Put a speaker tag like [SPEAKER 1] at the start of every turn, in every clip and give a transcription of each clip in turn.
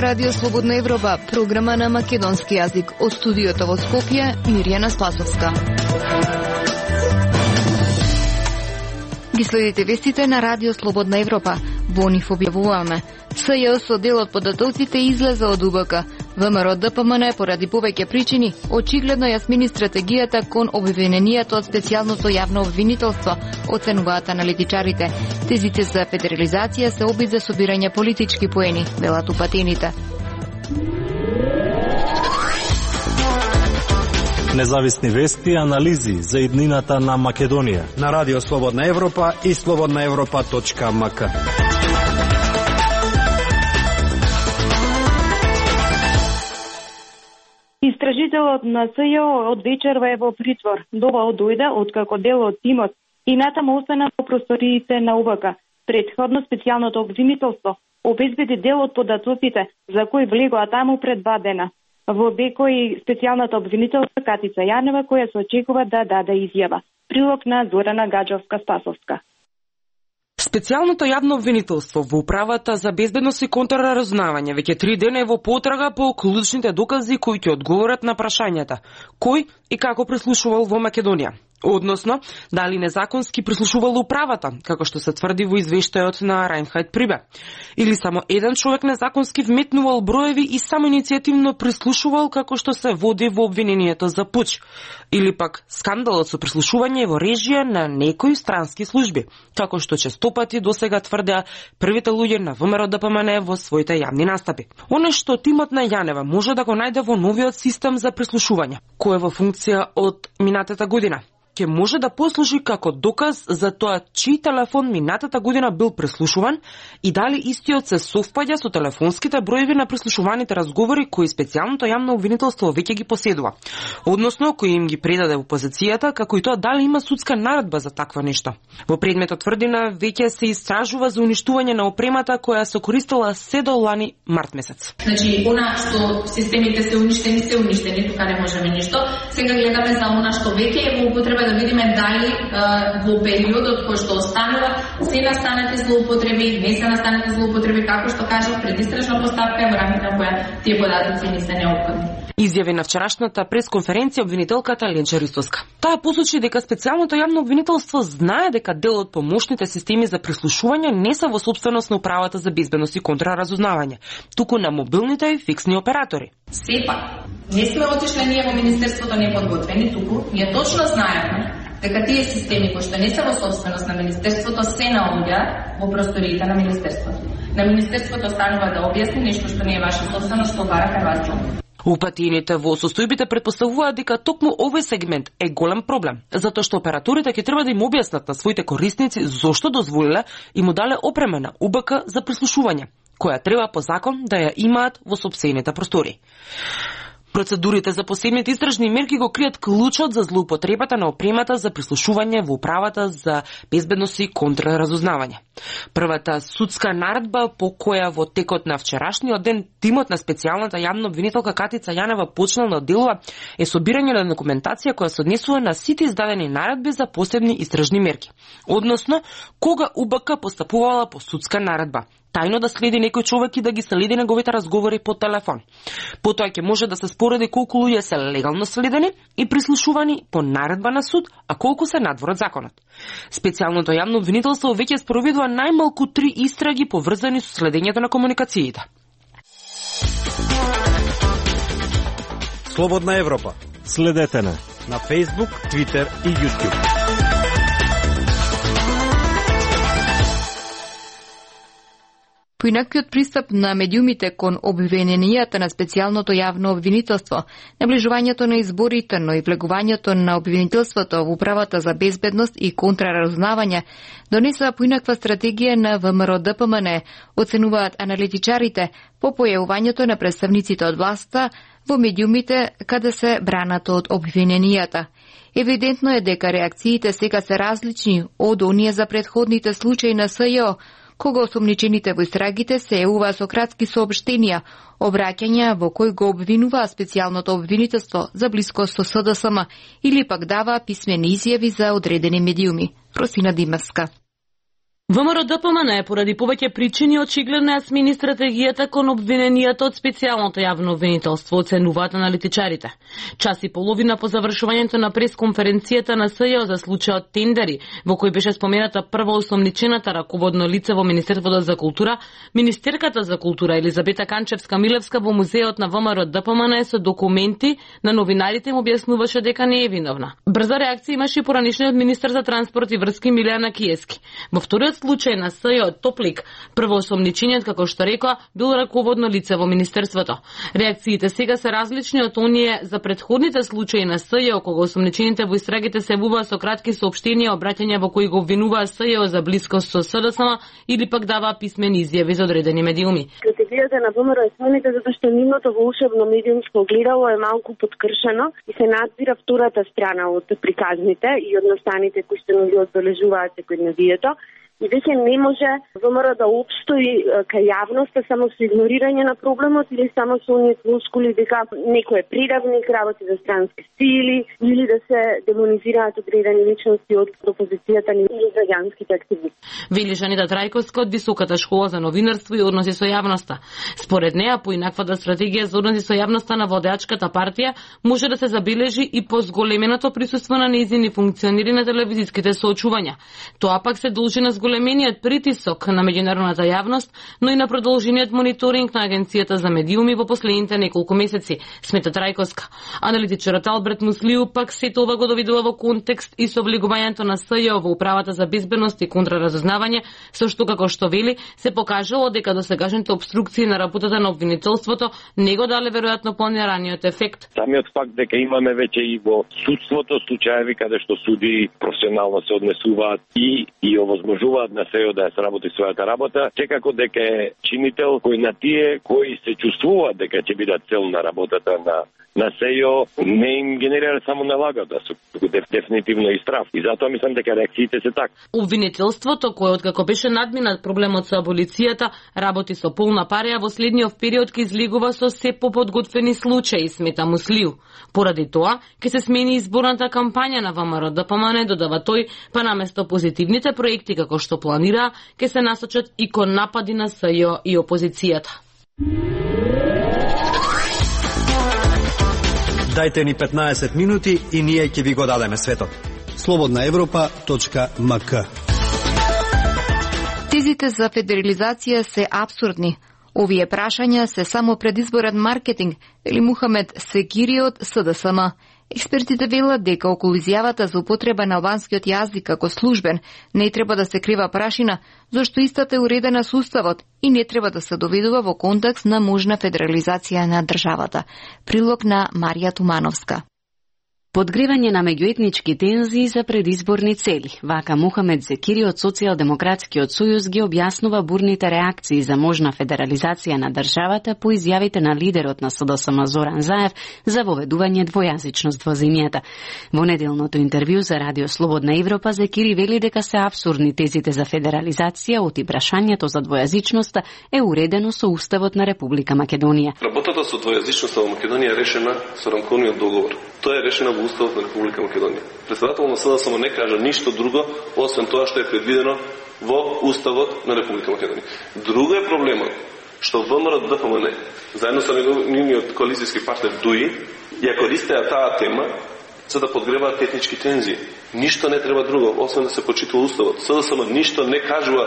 [SPEAKER 1] Радио Слободна Европа, програма на македонски јазик. Од студиото во Скопје, Мирјана Спасовска. Ги следите вестите на Радио Слободна Европа. Во нив објавуваме. СЈО со дел од податоците излеза од УБК. ВМРО ДПМН поради повеќе причини очигледно ја смени стратегијата кон обвиненијата од специјалното јавно обвинителство, оценуваат аналитичарите. Тезите за федерализација се обид за собирање политички поени, велат упатените.
[SPEAKER 2] Независни вести и анализи за иднината на Македонија
[SPEAKER 3] на Радио Слободна Европа и slobodnaevropa.mk.
[SPEAKER 4] Истражителот на СЈО од вечерва е во притвор. Доба дојде откако дел од тимот и натаму остана во просториите на УБК. Претходно специјалното обвинителство обезбеди дел од податоците за кои влегоа таму пред 2 дена. Во Бекој специјалната обвинителка Катица Јанева, која се очекува да даде изјава. Прилог на Зорана Гаджовска-Спасовска.
[SPEAKER 5] Специјалното јавно обвинителство во Управата за безбедност и контраразузнавање веќе 3 дена е во потрага по клучните докази кои ќе одговорат на прашањата кој и како прислушувал во Македонија. Односно, дали незаконски прислушувал управата, како што се тврди во извештајот на Рајнхајд Прибе. Или само еден човек незаконски вметнувал броеви и само иницијативно прислушувал како што се води во обвинението за пуч. Или пак скандалот со прислушување во режија на некои странски служби, како што честопати досега тврдеа првите луѓе на ВМРО ДПМН во своите јавни настапи. Оно што тимот на Јанева може да го најде во новиот систем за прислушување, кој е во функција од минатата година, ќе може да послужи како доказ за тоа чиј телефон минатата година бил преслушуван и дали истиот се совпаѓа со телефонските броеви на преслушуваните разговори кои специјалното јавно обвинителство веќе ги поседува. Односно, кој им ги предаде во позицијата, како и тоа дали има судска наредба за такво нешто. Во предметот тврдина веќе се истражува за уништување на опремата која се користела се до лани март месец.
[SPEAKER 6] Значи, она што системите се уништени, тука не можеме ништо. Сега гледаме за она што веќе е во употреба да видиме дали во периодот кој што останува се настанати злоупотреби, не се настанати злоупотреби, како што кажав, предистражна постапка во рамките на која тие податоци не се неопходни.
[SPEAKER 5] Изјави на вчерашната пресконференција обвинителката Ленча Ристоска. Таа посочи дека специјалното јавно обвинителство знае дека дел од помошните системи за прислушување не се во собственост на Управата за безбедност и контраразузнавање, туку на мобилните и фиксни оператори.
[SPEAKER 6] Сепак, не сме отишли ние во Министерството неподготвени, туку ние точно знаеме дека тие системи кои што не се во собственост на Министерството се наоѓаат во просториите на Министерството. На Министерството останува да објасни нешто што не е ваша собственост, што бара Хрватска.
[SPEAKER 5] Упатените во состојбите претпоставуваат дека токму овој сегмент е голем проблем, затоа што операторите ќе треба да им објаснат на своите корисници зошто дозволиле и му дале опрема на УБК за прислушување, која треба по закон да ја имаат во сопстените простори. Процедурите за посебните истражни мерки го кријат клучот за злоупотребата на опремата за прислушување во Управата за безбедност и контраразузнавање. Првата судска наредба по која во текот на вчерашниот ден тимот на специјалната јавна обвинителка Катица Јанева почнал да делува е собирање на документација која се однесува на сите издадени наредби за посебни истражни мерки. Односно, кога УБК постапувала по судска наредба, тајно да следи некој човек и да ги следи неговите разговори по телефон. Потоа ќе може да се спореди колку луѓе се легално следени и прислушувани по наредба на суд, а колку се надвор од законот. Специјалното јавно обвинителство веќе спроведува најмалку 3 истраги поврзани со следењето на комуникациите.
[SPEAKER 3] Слободна Европа.
[SPEAKER 2] Следете на
[SPEAKER 3] Facebook, Twitter и YouTube.
[SPEAKER 1] Поинаквиот пристап на медиумите кон обвиненијата на специјалното јавно обвинителство, наближувањето на изборите, но и влегувањето на обвинителството во Управата за безбедност и контраразузнавање донесува поинаква стратегија на ВМРО ДПМН, оценуваат аналитичарите по појавувањето на представниците од власта во медиумите каде се бранат од обвиненијата. Евидентно е дека реакциите сега се различни од оние за претходните случаи на СЈО, кога осомничените во истрагите се јавуваа со кратки соопштенија, обраќања во кои го обвинуваа специјалното обвинителство за близкост со СДСМ или пак даваа писмени изјави за одредени медиуми. Росина Димевска.
[SPEAKER 5] ВМРО-ДПМН поради повеќе причини очигледно ја смени стратегијата кон обвиненијата од специјалното јавно обвинителство, оценуваат аналитичарите. Час и половина по завршувањето на пресконференцијата на СЈО за случајот тендери, во кој беше спомената прво осомничената раководно лице во Министерството за култура, министерката за култура Елизабета Канчевска-Милевска во музеот на ВМРО-ДПМН со документи на новинарите им објаснуваше дека не е виновна. Брза реакција имаше и поранишниот министер за транспорт и врски Милијана Киески. Во вториот случај на СЈО Топлик, првоосомничениот, како што рекоа, бил раководно лице во министерството. Реакциите сега се различни од оние за претходните случаи на СЈО, кога осомничените во истрагите се јавуваа со кратки соопштенија, обраќања во кои го обвинуваа СЈО за блискост со СДСМ или пак даваа писмени изјави за одредени медиуми.
[SPEAKER 7] Стратегијата на ВМРО е смените затоа што нивното во ушебно медиумско огледало е малку подкршено и се надзира втората страна од приказните и одностаните кои што ги одбележуваат секојдневието. И веќе не може ВМРО да обстои кај јавноста само со игнорирање на проблемот или само со оние флускули дека некој е приравник, работи за странски сили или да се демонизираат одредени личности од опозицијата или граѓанските активисти.
[SPEAKER 5] Вели Жанита Трајковска од Високата школа за новинарство и односи со јавноста. Според неа, поинаквата стратегија за односи со јавноста на водачката партија може да се забележи и по зголеменото присуство на нејзини функционери на телевизиските соочувања. Тоа пак се должи на големениот притисок на меѓународната јавност, но и на продолжениот мониторинг на Агенцијата за медиуми во последните неколку месеци, смета Трајковска. Аналитичарот Алберт Муслиу пак сето ова го довидува во контекст и со облигувањето на СЈО во управата за безбедност и контраразузнавање, со што, како што вели, се покажало дека досегашните обструкции на работата на обвинителството не го дале веројатно планираниот ефект.
[SPEAKER 8] Самиот факт дека имаме веќе и во судството случаеви каде што суди професионално се однесуваат и овозможуваат на СЈО да ја сработи својата работа, секако дека е чинител кој на тие кои се чувствуваат дека ќе бидат цел на работата на СЈО не им генерира само налагата, дефинитивно и страф. И затоа мислам дека реакциите се така.
[SPEAKER 5] Обвинителството, кое откако беше надминат проблемот со аболицијата, работи со полна парија, во следниот период ке излегува со се поподготвени случаи, смета Муслиу. Поради тоа, ке се смени изборната кампања на ВМРО-ДПМН, додава тој, па наместо позитивните проекти како што планира, ке се насочат и кон напади на СЈО и опозицијата.
[SPEAKER 3] Дајте ни 15 минути и ние ќе ви го дадеме светот. slobodnaevropa.mk.
[SPEAKER 1] Тезите за федерализација се апсурдни. Овие прашања се само предизборен маркетинг, вели Мухамед Секири од СДСМ. Експертите велат дека околу изјавата за употреба на албанскиот јазик како службен не треба да се крива прашина, зашто истата е уредена со уставот и не треба да се доведува во контекст на можна федерализација на државата. Прилог на Марија Тумановска.
[SPEAKER 9] Подгревање на меѓуетнички тензии за предизборни цели. Вака Мухамед Зекири од Социјалдемократскиот сојуз ги објаснува бурните реакции за можна федерализација на државата по изјавите на лидерот на СДСМ Зоран Заев за воведување двојазичност во земјата. Во неделното интервју за Радио Слободна Европа Зекири вели дека се апсурдни тезите за федерализација, оти прашањето за двојазичноста е уредено со Уставот на Република Македонија.
[SPEAKER 10] Работата со двојазичноста во Македонија е решена со рамковниот договор. Тоа е решено во Уставот на Република Македонија. Председател на СДСМ не кажа ништо друго, освен тоа што е предвидено во Уставот на Република Македонија. Друго е проблемот што ВМРО-ДПМН, заедно со нивниот коалицијски партнер ДУИ, ја користеа таа тема за да подгреваат етнички тензии. Ништо не треба друго, освен да се почитува Уставот. СДСМ ништо не кажува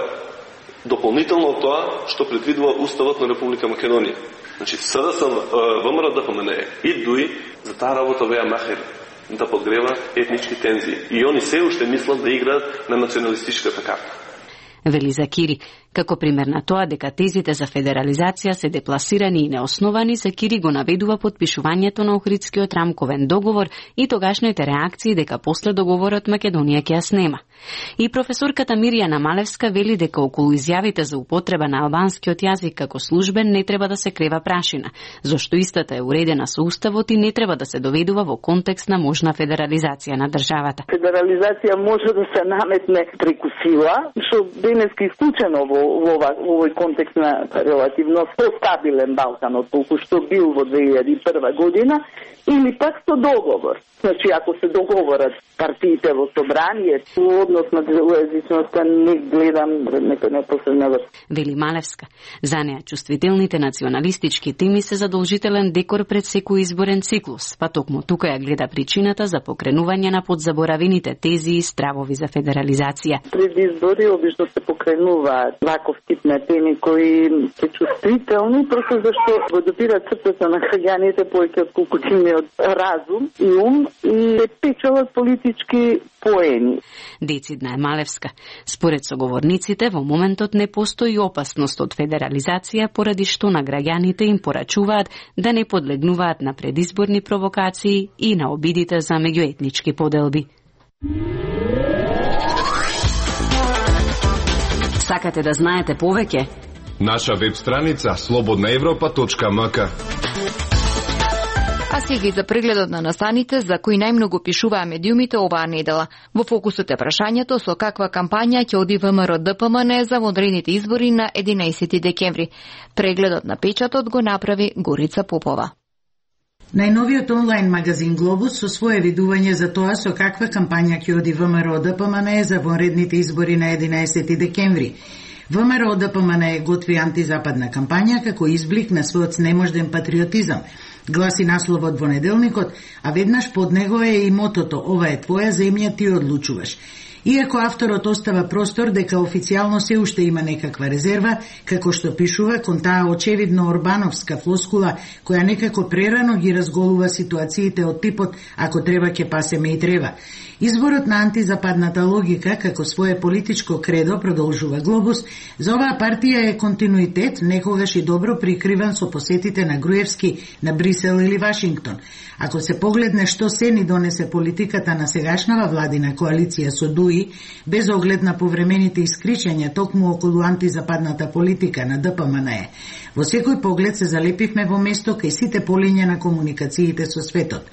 [SPEAKER 10] дополнително тоа што предвидува Уставот на Република Македонија. Значи, СДСМ, ВМРО-ДПМН и ДУИ за таа работа беа махери да подгрева етнички тензии. И они се уште мислат да играат на националистичката карта.
[SPEAKER 9] Вели Закири. Како пример на тоа дека тезите за федерализација се депласирани и неосновани, Закири го наведува подпишувањето на Охридскиот рамковен договор и тогашните реакции дека после договорот Македонија ќе ја снема. И професорката Мирјана Малевска вели дека околу изјавите за употреба на албанскиот јазик како службен не треба да се крива прашина, зашто истата е уредена со Уставот и не треба да се доведува во контекст на можна федерализација на државата.
[SPEAKER 7] Федерализација може да се наметне преку сила, што
[SPEAKER 11] денески исклучено во овој контекст на релативно стабилен Балкан од толку што бил во 2001 година, или пак со договор. Значи, ако се договорат партиите во собрание, во однос на двоезичноста не гледам некој непосредна.
[SPEAKER 9] Вели Малевска. За неа чувствителните националистички теми се задолжителен декор пред секој изборен циклус, па токму тука ја гледа причината за покренување на подзаборавените тези и стравови за федерализација.
[SPEAKER 11] Пред избори обично се покренуваат ваков тип на теми кои се чувствителни, просто зашто го допираат срцето на граѓаните повеќе отколку тимиот разум и ум и се печелат политички поени.
[SPEAKER 9] Децидна е Малевска. Според соговорниците, во моментот не постои опасност од федерализација, поради што на граѓаните им порачуваат да не подлегнуваат на предизборни провокации и на обидите за меѓуетнички поделби. Сакате да знаете повеќе?
[SPEAKER 12] Наша веб страница slobodnaevropa.mk.
[SPEAKER 1] А сега и за прегледот на настаните за кои најмногу пишуваа медиумите оваа недела. Во фокусот е прашањето со каква кампања ќе оди ВМРО-ДПМН за водредните избори на 11 декември. Прегледот на печатот го направи Горица Попова.
[SPEAKER 13] Најновиот онлайн магазин Глобус со свое видување за тоа со каква кампања ќе оди ВМРО-ДПМН за вонредните избори на 11 декември. ВМРО-ДПМН готви антизападна кампања како изблик на својот снеможден патриотизам, гласи насловот во неделникот, а веднаш под него е и мотото «Ова е твоја земја, ти одлучуваш». Иако авторот остава простор дека официјално се уште има некаква резерва, како што пишува кон таа очевидно орбановска флоскула, која некако прерано ги разголува ситуациите од типот «Ако треба ќе пасеме и треба». Изборот на антизападната логика како свое политичко кредо, продолжува Глобус, за оваа партија е континуитет, некогаш и добро прикриван со посетите на Груевски на Брисел или Вашингтон. Ако се погледне што се ни донесе политиката на сегашнава владина коалиција со ДУИ, без оглед на повремените искричања токму околу антизападната политика на ДПМН, во секој поглед се залепивме во место кај сите полиња на комуникациите со светот.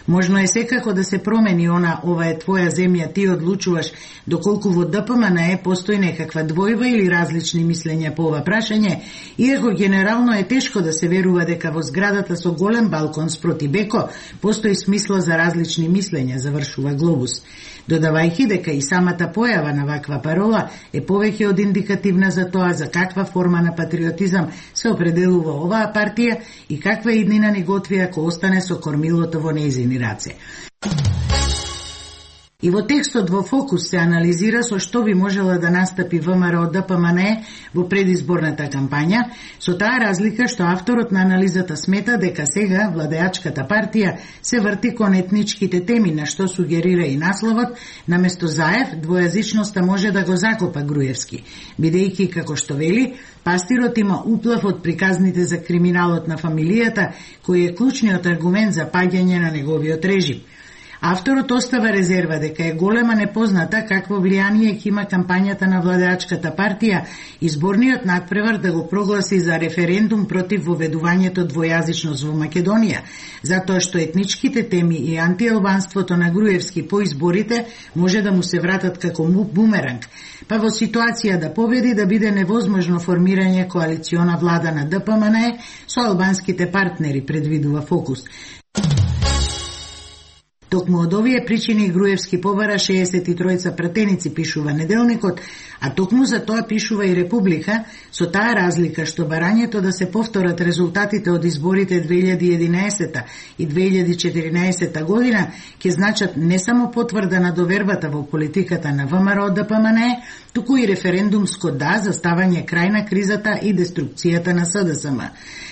[SPEAKER 13] Можно е секако да се промени ова е твоја земја, ти одлучуваш, доколку во ДПМН постои некаква двојба или различни мислења по ова прашање, иако генерално е тешко да се верува дека во зградата со голем балкон спроти Беко постои смисла за различни мислења, завршува Глобус, додавајќи дека и самата појава на ваква парола е повеќе од индикативна за тоа за каква форма на патриотизам се определува оваа партија и каква иднина ни готви ако остане со кормилото во нејзини раце. И во текстот во фокус се анализира со што би можела да настапи ВМРО-ДПМН во предизборната кампања, со таа разлика што авторот на анализата смета дека сега владеачката партија се врти кон етничките теми, на што сугерира и насловот, наместо Заев, двојазичноста може да го закопа Груевски, бидејќи, како што вели, пастирот има уплав од приказните за криминалот на фамилијата, кој е клучниот аргумент за паѓање на неговиот режим. Авторот остава резерва дека е голема непозната какво влијание ќе има кампањата на владеачката партија изборниот надпревар да го прогласи за референдум против воведувањето двојазичност во Македонија, затоа што етничките теми и антиалбанството на Груевски по изборите може да му се вратат како бумеранг, па во ситуација да победи да биде невозможно формирање коалициона влада на ДПМН со албанските партнери, предвидува фокус. Токму од овие причини Груевски побара 63 пратеници, пишува неделникот, а токму за тоа пишува и Република, со таа разлика што барањето да се повторат резултатите од изборите 2011 и 2014 година ќе значат не само потврда на довербата во политиката на ВМРО-ДПМН, туку и референдумско да за ставање крај на кризата и деструкцијата на СДСМ.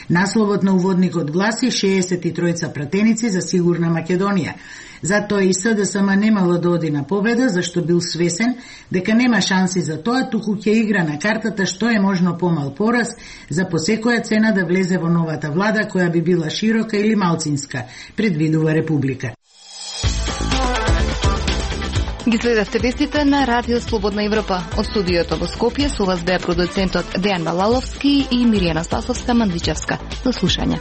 [SPEAKER 13] Насловот на уводникот гласи 63 пратеници за сигурна Македонија. Затоа и СДСМ немало да оди на победа, зашто бил свесен дека нема шанси за тоа, туку ќе игра на картата што е можно помал пораз за по секоја цена да влезе во новата влада која би била широка или малцинска, предвидува Република.
[SPEAKER 1] Ги следевте вестите на Радио Слободна Европа. Од студиото во Скопје со вас беа продуцентот Дејан Балаловски и Миријана Спасовска-Мандичевска. До слушање.